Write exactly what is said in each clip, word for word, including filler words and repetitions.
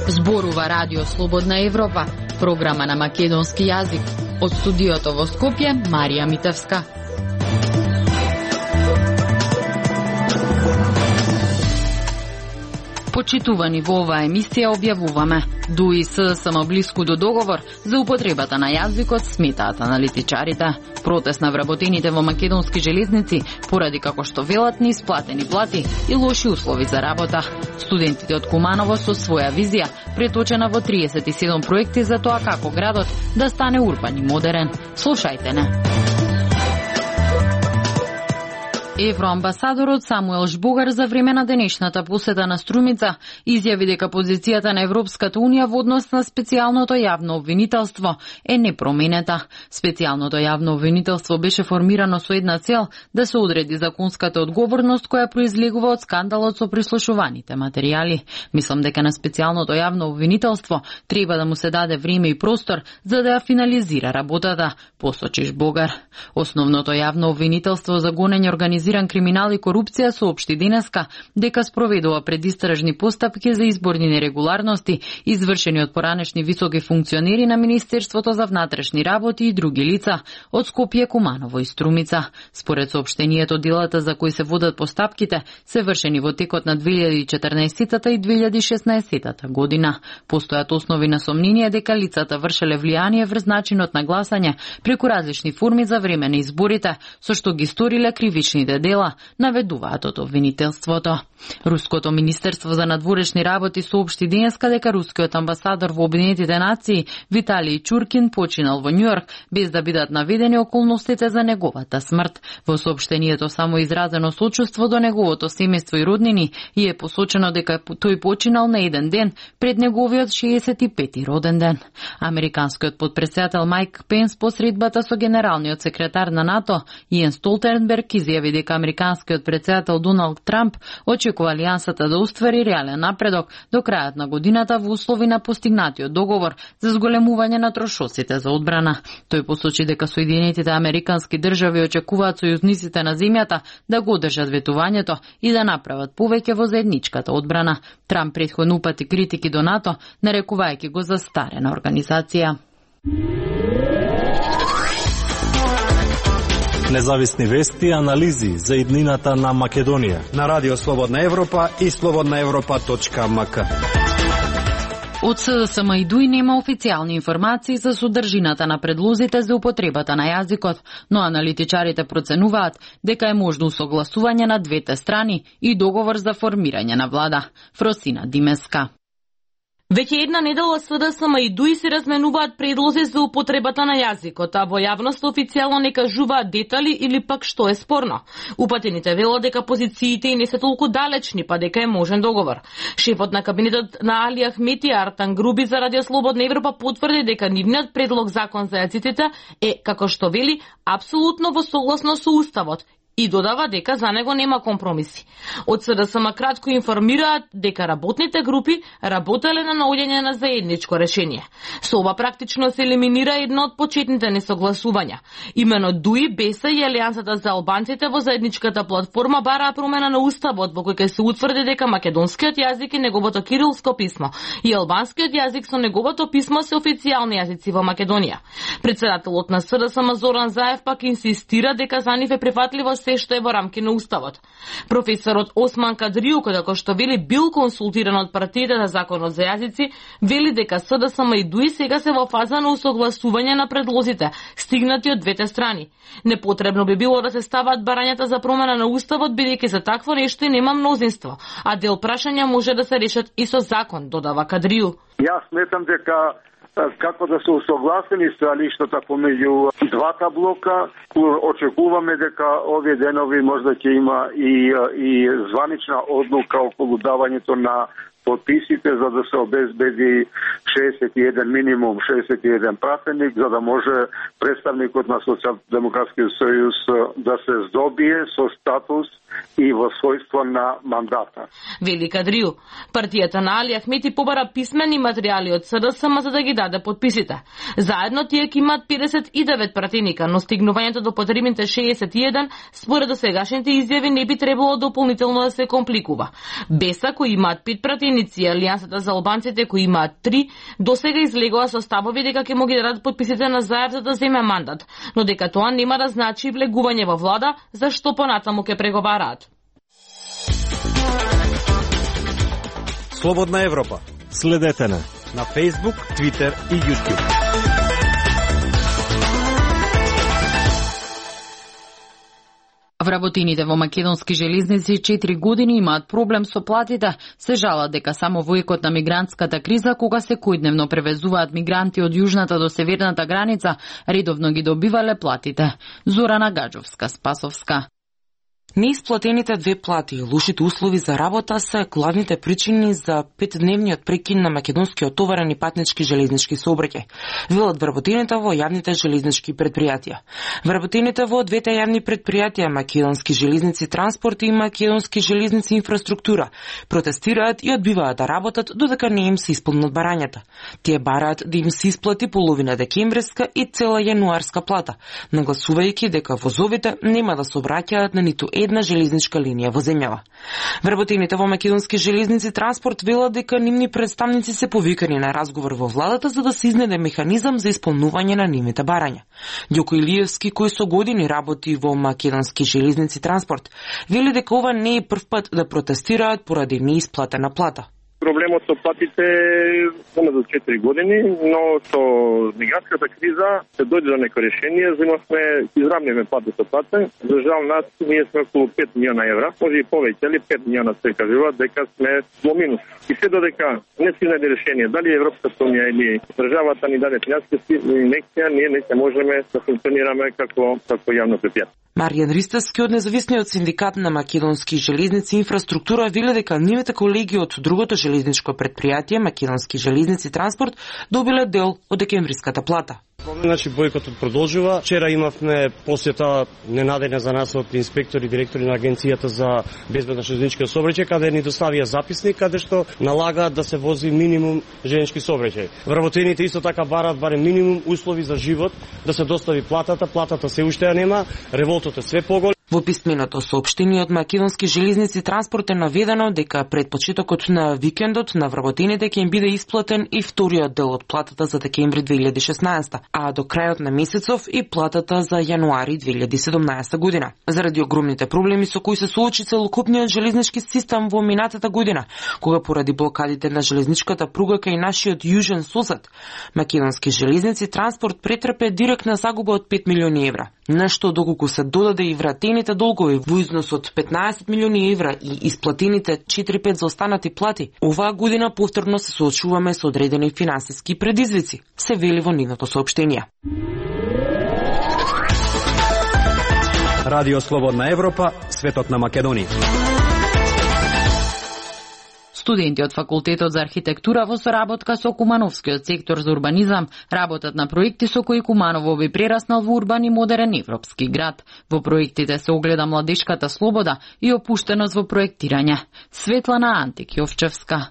Зборува Радио Слободна Европа, програма на македонски јазик. Од студиото во Скопје, Марија Митевска. Почитувани, во оваа емисија објавуваме: ДУ и СДСМ блиску до договор за употребата на јазикот, сметаат аналитичарите. Протест на вработените во македонски железници поради, како што велат, неисплатени плати и лоши услови за работа. Студентите од Куманово со своја визија, преточена во триесет и седум проекти за тоа како градот да стане урбан и модерен. Слушајте не. Евроамбасадорот Самуел Жбогар за време на денешната посета на Струмица изјави дека позицијата на Европската Унија во однос на специјалното јавно обвинителство е непроменета. Специјалното јавно обвинителство беше формирано со една цел да се одреди законската одговорност која произлегува од скандалот со прислушуваните материјали. Мислам дека на специјалното јавно обвинителство треба да му се даде време и простор за да ја финализира работата, посочи Жбогар. Основното јавно обвинителство за гонење организирање криминал и корупција соопшти денеска дека спроведува предистражни постапки за изборни нерегуларности извршени од поранешни високи функционери на Министерството за внатрешни работи и други лица од Скопје, Куманово и Струмица. Според соопштението, делата за кои се водат постапките се вршени во текот на две илјади и четрнаесетта и две илјади и шеснаесетта година. Постојат основи на сомнение дека лицата вршеле влијание врз начинот на гласање преку различни форми за време на изборите, со што ги сториле кривичните дела, наведуваат од обвинителството. Руското министерство за надворешни работи соопшти денеска дека рускиот амбасадор во Обединетите нации Виталий Чуркин починал во Њујорк без да бидат наведени околностите за неговата смрт. Во соопштението само изразено сочувство до неговото семејство и роднини и е посочено дека тој починал на еден ден пред неговиот шеесет и пети роден ден. Американскиот потпредседател Майк Пенс по средбата со генералниот секретар на НАТО Јенс Столтенберг изјави дека американскиот председател Доналд Трамп очекува алијансата да оствари реален напредок до крајот на годината во услови на постигнатиот договор за зголемување на трошоците за одбрана. Тој посочи дека Соединетите американски држави очекуваат сојузниците на земјата да го одржат ветувањето и да направат повеќе во заедничката одбрана. Трамп претходно упати критики до НАТО, нарекувајќи го за старена организација. Независни вести и анализи за иднината на Македонија на Радио Слободна Европа и слободна европа точка ем ка. Од СДСМ и ДУ И нема официјални информации за содржината на предлозите за употребата на јазикот, но аналитичарите проценуваат дека е можно согласување на двете страни и договор за формирање на влада. Фросина Димеска. Веќе една недела СДСМ и ДУ И се разменуваат предлози за употребата на јазикот, а во јавност официјално не кажуваат детали или пак што е спорно. Упатените велат дека позициите не се толку далечни, па дека е можен договор. Шефот на кабинетот на Али Ахмети Артан Груби за Радио Слободна Европа потврди дека нивниот предлог закон за јазиците е, како што вели, апсолутно во согласно со уставот и додава дека за него нема компромиси. Од СДСМ кратко информираат дека работните групи работеле на наоѓање на заедничко решение. Со ова практично се елиминира едно од почетните несогласувања. Имено ДУ И, БЕСА и Алијансата за албанците во заедничката платформа бараа промена на уставот во кој ќе се утврди дека македонскиот јазик и неговото кирилско писмо и албанскиот јазик со неговото писмо се официјални јазици во Македонија. Председателот на СДСМ Зоран Заев пак инсистира дека за нив е прифатливо се што е во рамки на уставот. Професорот Осман Кадрију, кој како што вели бил консултиран од партиите за законот за јазици, вели дека СДСМ и ДУ И сега се во фаза на усогласување на предлозите, стигнати од двете страни. Непотребно би било да се стават барањата за промена на уставот, бидејќи за такво нешто нема мнозинство, а дел прашања може да се решат и со закон, додава Кадрију. Јас сметам дека како да се усогласени сталиштата помеѓу двата блока, очекуваме дека овие денови можда ќе има и и званична одлука околу давањето на подписите за да се обезбеди шеесет и еден минимум шеесет и еден пратеник, за да може представникот на Социјалдемократскиот сојуз да се здобие со статус и во својство на мандата. Вели Кадрију, партијата на Али Ахмети побара писмени материјали од СДСМ за да ги даде подписите. Заедно тие ќе имаат педесет и девет пратеника, но стигнувањето до потребните шеесет и еден според досегашните изјави не би требало дополнително да се компликува. Беса кои имаат пет пратеници и Алијансата за албанците кои имаат три, досега излегоа со ставови дека ќе му ги дадат подписите на Заев за да земе мандат, но дека тоа нема да значи влегување во влада, зашто понатаму ќе преговараат. Слободна Европа. Следете на на Facebook, Twitter и YouTube. Вработените во македонски железници четири години имаат проблем со платите, се жалат дека само во екот на мигрантската криза, кога секојдневно превезуваат мигранти од јужната до северната граница, редовно ги добивале платите. Зорана Гаджовска, Спасовска. Неисплатените две плати и лошите услови за работа се главните причини за петдневниот прекин на македонскиот товарен и патнички железнички сообраќај, велат вработените во јавните железнички предпријатија. Вработените во двете јавни предпријатија, Македонски железници транспорт и Македонски железници инфраструктура, протестираат и одбиваат да работат додека не им се исполнат барањата. Тие бараат да им се исплати половина декемвриска и цела јануарска плата, нагласувајќи дека возовите нема да се обраќаат на ниту една железничка линија во земјава. Вработените во Македонски железници транспорт велат дека нивни представници се повикани на разговор во владата за да се изнеде механизам за исполнување на нивните барања. Ѓоко Илиевски, кој со години работи во Македонски железници транспорт, вели дека ова не е прв пат да протестираат поради неисплатена плата. Проблемот со платите е за четири години, но со мигрантската криза се дојде до некој решение, земавме, изравнивме плата со плата. За жал нас, ние сме околу пет милиона евра, може и повеќе, али пет милиона се кажува, дека сме во минус. И се додека не се најде решение, дали Европската унија или државата ни даде финансиски инекција, ние не се можеме да функционираме како, како јавно предпријатие. Маријан Ристевски од независниот синдикат на Македонски железници инфраструктура вели дека нивните колеги од другото железничко предпријатие Македонски железници транспорт добиле дел од декемвриската плата. Значи бојкотот продолжува. Вчера имавме посета ненадења за нас од инспектори и директори на Агенцијата за безбедно железничко сообраќај, каде ни доставија записник каде што налагаат да се вози минимум железнички сообраќај. Вработените исто така бараат барем минимум услови за живот, да се достави платата, платата се уште ја нема, револтот е све поголем. Во писменото соопштение од Македонски железници транспорт е наведено дека пред почетокот на викендот на вработените ќе им биде исплатен и вториот дел од платата за декември две илјади и шеснаесета, а до крајот на месецов и платата за јануари две илјади и седумнаесета година. Заради огромните проблеми со кои се соочи целокупниот железнички систем во минатата година, кога поради блокадите на железничката пруга кај нашиот јужен сосед, Македонски железници транспорт претрпе директна загуба од пет милиони евра. Нешто доколку се додаде и вратените долгови во износ од петнаесет милиони евра и исплатените четири-пет за останати плати, оваа година повторно се соочуваме со одредени финансиски предизвици, се вели во нивното соопштение. Радио Слободна Европа, светот на Македонија. Студенти од факултетот за архитектура во соработка со Кумановскиот сектор за урбанизам работат на проекти со кои Куманово би прераснал во урбан и модерен европски град. Во проектите се огледа младешката слобода и опуштеност во проектирање. Светлана Антик-Јовчевска.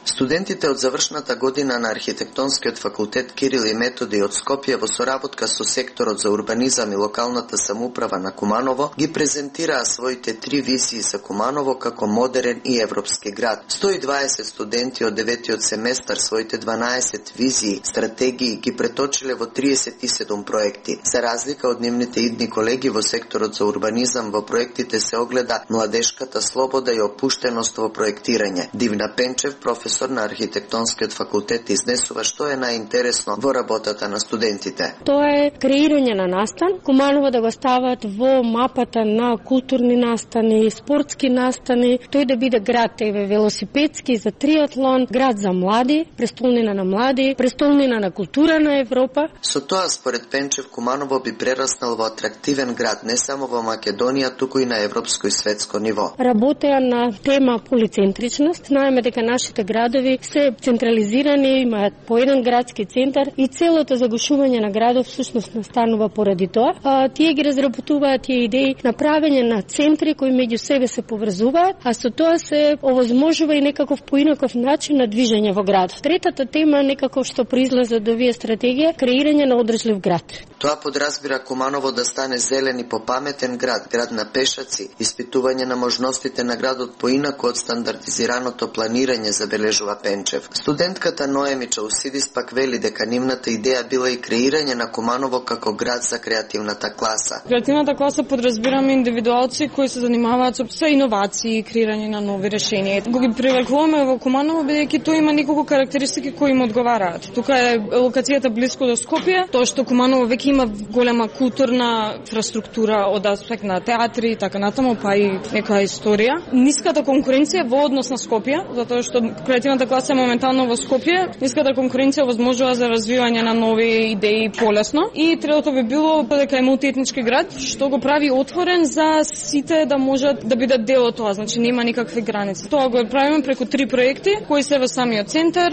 Студентите од завршната година на архитектонскиот факултет Кирил и Методи од Скопје во соработка со секторот за урбанизам и локалната самоуправа на Куманово ги презентираа своите три визии за Куманово како модерен и европски град. сто и дваесет студенти од деветиот семестар своите дванаесет визии, стратегии ги преточиле во триесет и седум проекти. За разлика од нивните идни колеги во секторот за урбанизам, во проектите се огледа младешката слобода и опуштеност во проектирање. Дивна Пенчев, професор на архитектонскиот факултет, изнесува што е најинтересно во работата на студентите. Тоа е креирање на настан, Куманово да го стават во мапата на културни настани, спортски настани, тој да биде град еве велосипедски за триатлон, град за млади, престолнина на млади, престолнина на култура на Европа. Со тоа според Пенчев Куманово би прераснал во атрактивен град не само во Македонија, туку и на европско и светско ниво. Работеа на тема полицентричност, знаеме дека нашите градови се централизирани, имаат по еден градски центар и целото загушување на градов всушност настанува поради тоа. А, тие ги разработуваат тие идеи на правење на центри кои меѓу себе се поврзуваат, а со тоа се овозможува и некаков поинаков начин на движење во градот. Третата тема некако што произлезе од овие стратегија, креирање на одржлив град. Тоа подразбира Куманово да стане зелен и попаметен град, град на пешаци, испитување на можностите на градот поинако од стандардизираното планирање, забележува Пенчев. Студентката Ноеми Чаусидис пак вели дека нивната идеја била и креирање на Куманово како град за креативната класа. Креативната класа подразбираме индивидуалци кои се занимаваат со иновации и креирање на нови решенија. Го ги привлекуваме во Куманово бидејќи тоа има неколку карактеристики кои им одговараат. Тука е локацијата блиско до Скопје, тоа што Куманово веќе има голема културна инфраструктура од аспект на театри и така натаму, па и некоја историја. Ниската конкуренција во однос на Скопје, затоа што креативната класа е моментално во Скопје, ниската конкуренција возможува за развивање на нови идеи полесно. И третото би било дека е мултиетнички град, што го прави отворен за сите да можат да бидат дел од тоа, значи нема никакви граници. Тоа го правиме преку три проекти кои се во самиот центар.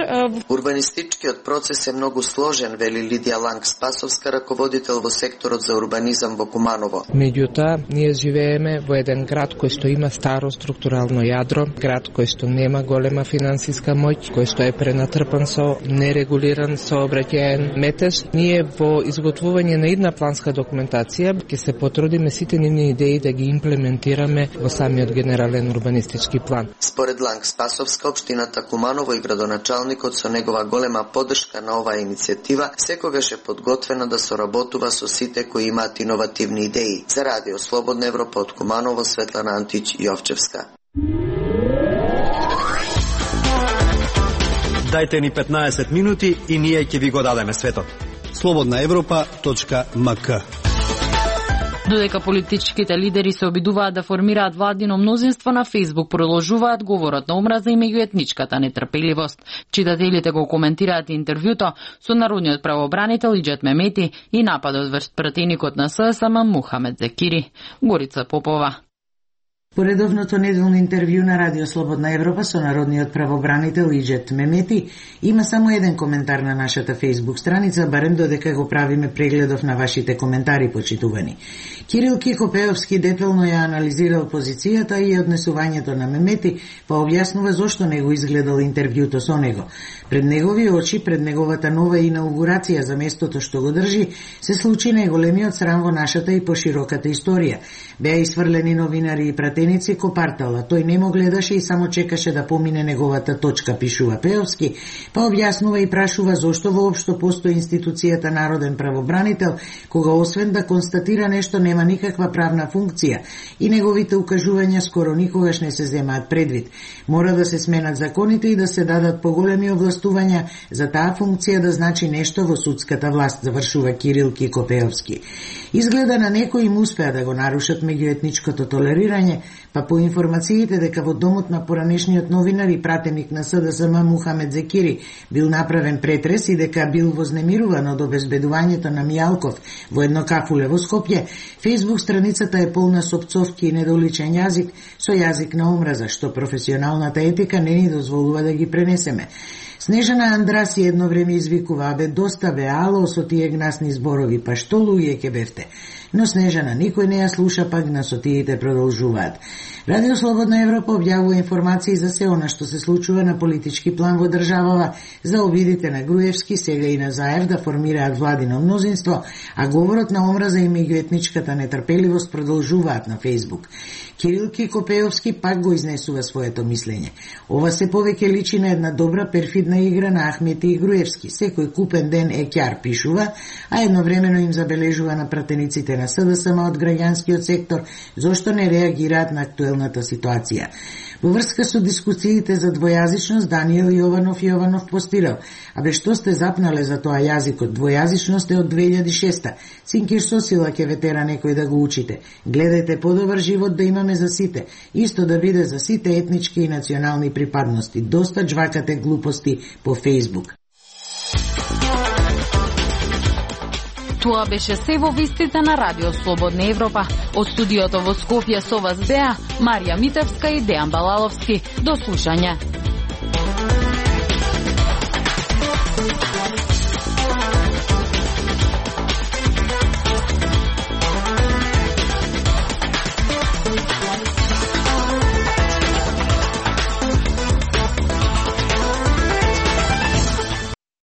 Урбанистичкиот процес е многу сложен, вели Лидија Ланг Спасовска, раководител во секторот за урбанизам во Куманово. Меѓутоа, ние живееме во еден град кој што има старо структурално јадро, град кој што нема голема финансиска моќ, кој што е пренатрпан со нерегулиран сообраќаен метеж. Ние во изготвување на една планска документација ќе се потрудиме сите нивни идеи да ги имплементираме во самиот генерален урбанистички план. Според Ланг Спасовска, општината Куманово и градоначалникот со негова голема поддршка на оваа иницијатива секогаш е подготвена да соработува со сите кои имаат иновативни идеи. За Радио Слободна Европа од Куманово, Светлана Антич Јовчевска. Дајте ни петнаесет минути и ние ќе ви го дадеме светот. слободна европа точка ем ка. Додека политичките лидери се обидуваат да формираат владино мнозинство, на Фејсбук продолжуваат говорот на омраза и меѓуетничката нетрпеливост. Читателите го коментираат интервјуто со народниот правобранител Иџет Мемети и нападот врз пратеникот на ССМ Мухамед Зекири. Горица Попова. По редовното неделно интервју на Радио Слободна Европа со народниот правобранител Иџет Мемети има само еден коментар на нашата Facebook страница, барем додека го правиме прегледов на вашите коментари, почитувани. Кирил Кикопеовски детално ја анализирал позицијата и однесувањето на Мемети, па објаснува зошто не го изгледал интервјуто со него. Пред негови очи, пред неговата нова инаугурација за местото што го држи, се случи најголемиот срам во нашата и пошироката историја. Беа исфрлени новинари и пратеници ко партала. Тој немо гледаше и само чекаше да помине неговата точка, пишува Пеовски, па објаснува и прашува зошто воопшто постои институцијата народен правобранител, кога освен да констатира нешто нема никаква правна функција и неговите укажувања скоро никогаш не се земаат предвид. Мора да се сменат законите и да се дадат поголеми овластувања за таа функција да значи нешто во судската власт, завршува Кирил Кикопеовски. Изгледа на некои им успеа да го нарушат меѓуетничкото толерирање, па по информациите дека во домот на поранешниот новинар и пратеник на СДСМ Мухамед Зекири бил направен претрес и дека бил вознемируван од обезбедувањето на Мијалков во едно кафуле во Скопје, Фејсбук страницата е полна со пцовки и недоличен јазик со јазик на омраза, што професионалната етика не ни дозволува да ги пренесеме. Снежана Андраси едно време извикува: "Абе, доста бе, ало, со тие гнасни зборови, па што луѓе ке бевте?" Но Снежана никој не ја слуша, пак гнасотиите продолжуваат. Радио Слободна Европа објавува информации за се она што се случува на политички план во државава, за обидите на Груевски, сега и на Заев да формираат владино мнозинство, а говорот на омраза и меѓуетничката нетрпеливост продолжуваат на Фејсбук. Кирил Кикопеовски пак го изнесува своето мислење. Ова се повеќе личи на една добра перфидна игра на Ахмети и Груевски. Секој купен ден е ќар, пишува, а едновремено им забележува на пратениците на СДСМ од граѓанскиот сектор зошто не реагираат на актуелната ситуација. Во врска со дискусиите за двојазичност, Даниел Јованов Јованов постирал: "Абе, што сте запнале за тоа јазикот? Двојазичност е од две илјади и шеста. Цинкир со сила ќе ве тера некој да го учите. Гледајте подобар живот да имаме за сите. Исто да биде за сите етнички и национални припадности. Доста джвакате глупости по Фејсбук." Тоа беше се во вестите на Радио Слободна Европа. Од студиото во Скопје со вас беа Марија Митевска и Дејан Балаловски. До слушање.